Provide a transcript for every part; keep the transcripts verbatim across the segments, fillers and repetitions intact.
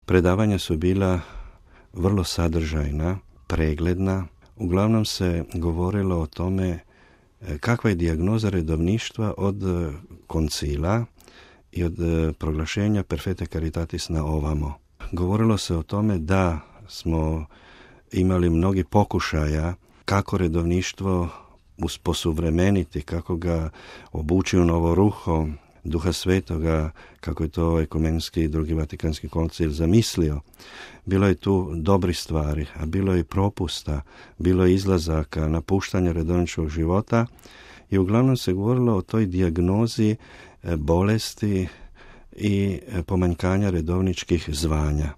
Predavanja su bila vrlo sadržajna, pregledna. Uglavnom se govorilo o tome kakva je dijagnoza redovništva od koncila i od proglašenja Perfecte Caritatis na ovamo. Govorilo se o tome da smo imali mnogi pokušaja kako redovništvo usposuvremeniti, kako ga obući u novo ruho Duha Svetoga, kako je to Ekumenski i drugi Vatikanski koncil zamislio. Bilo je tu dobri stvari, a bilo je i propusta, bilo je izlazaka, napuštanja redovničkog života i uglavnom se govorilo o toj dijagnozi bolesti i pomanjkanja redovničkih zvanja.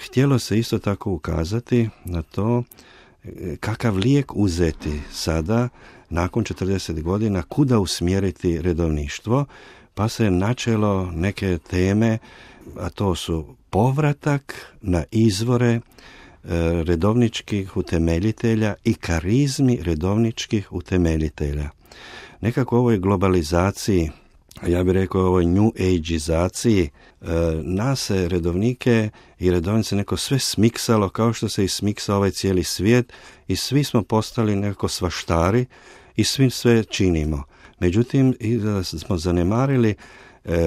Htjelo se isto tako ukazati na to kakav lijek uzeti sada, nakon četrdeset godina, kuda usmjeriti redovništvo, pa se načelo neke teme, a to su povratak na izvore redovničkih utemeljitelja i karizmi redovničkih utemeljitelja. Nekako u ovoj globalizaciji, ja bih rekao ovoj new age-izaciji, nas se redovnike i redovnice neko sve smiksalo kao što se i smiksa ovaj cijeli svijet i svi smo postali nekako svaštari i svi sve činimo. Međutim, smo zanemarili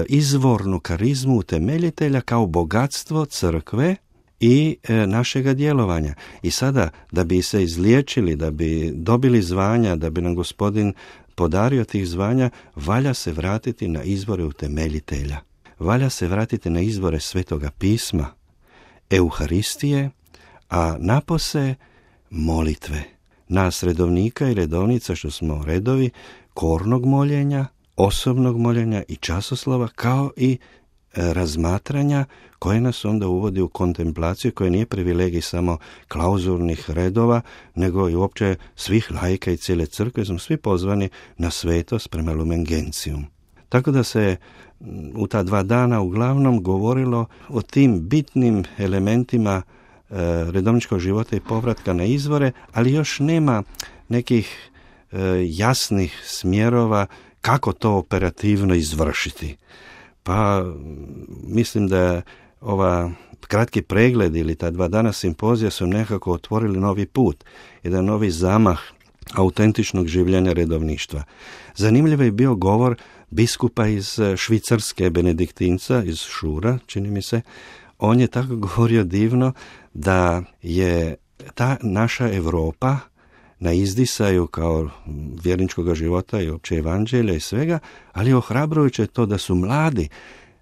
izvornu karizmu utemeljitelja kao bogatstvo crkve i našega djelovanja. I sada, da bi se izliječili, da bi dobili zvanja, da bi nam Gospodin podario tih zvanja, valja se vratiti na izvore utemeljitelja. Valja se vratiti na izvore Svetoga pisma, Euharistije, a napose molitve. Nas redovnika i redovnica, što smo redovi, kornog moljenja, osobnog moljenja i časoslova, kao i razmatranja koje nas onda uvodi u kontemplaciju, koja nije privilegij samo klauzurnih redova, nego i uopće svih laika i cijele crkve, smo svi pozvani na svetost prema Lumen Gentium. Tako da se u ta dva dana uglavnom govorilo o tim bitnim elementima e, redovničkog života i povratka na izvore, ali još nema nekih e, jasnih smjerova kako to operativno izvršiti. Pa mislim da ova kratki pregled ili ta dva dana simpozija su nekako otvorili novi put, jedan novi zamah autentičnog življenja redovništva. Zanimljiv je bio govor biskupa iz Švicarske, benediktinca, iz Šura, čini mi se. On je tako govorio divno da je ta naša Europa na izdisaju kao vjerničkog života i opće evanđelja i svega, ali ohrabrujuće je to da su mladi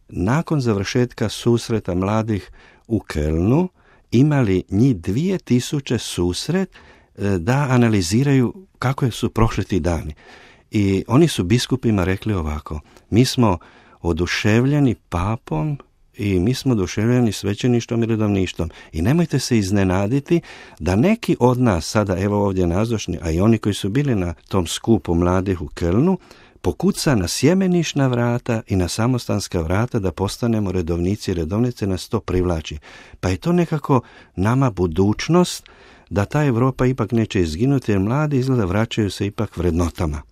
nakon završetka susreta mladih u Kölnu imali njih dvije tisuće susret da analiziraju kako su prošli ti dani. I oni su biskupima rekli ovako: mi smo oduševljeni papom i mi smo oduševljeni svećeništvom i redovništvom. I nemojte se iznenaditi da neki od nas, sada evo ovdje nazočni, a i oni koji su bili na tom skupu mladih u Kölnu, pokuca na sjemenišna vrata i na samostanska vrata da postanemo redovnici i redovnice, nas to privlači. Pa je to nekako nama budućnost da ta Europa ipak neće izginuti, jer mladi izgleda vraćaju se ipak vrednotama.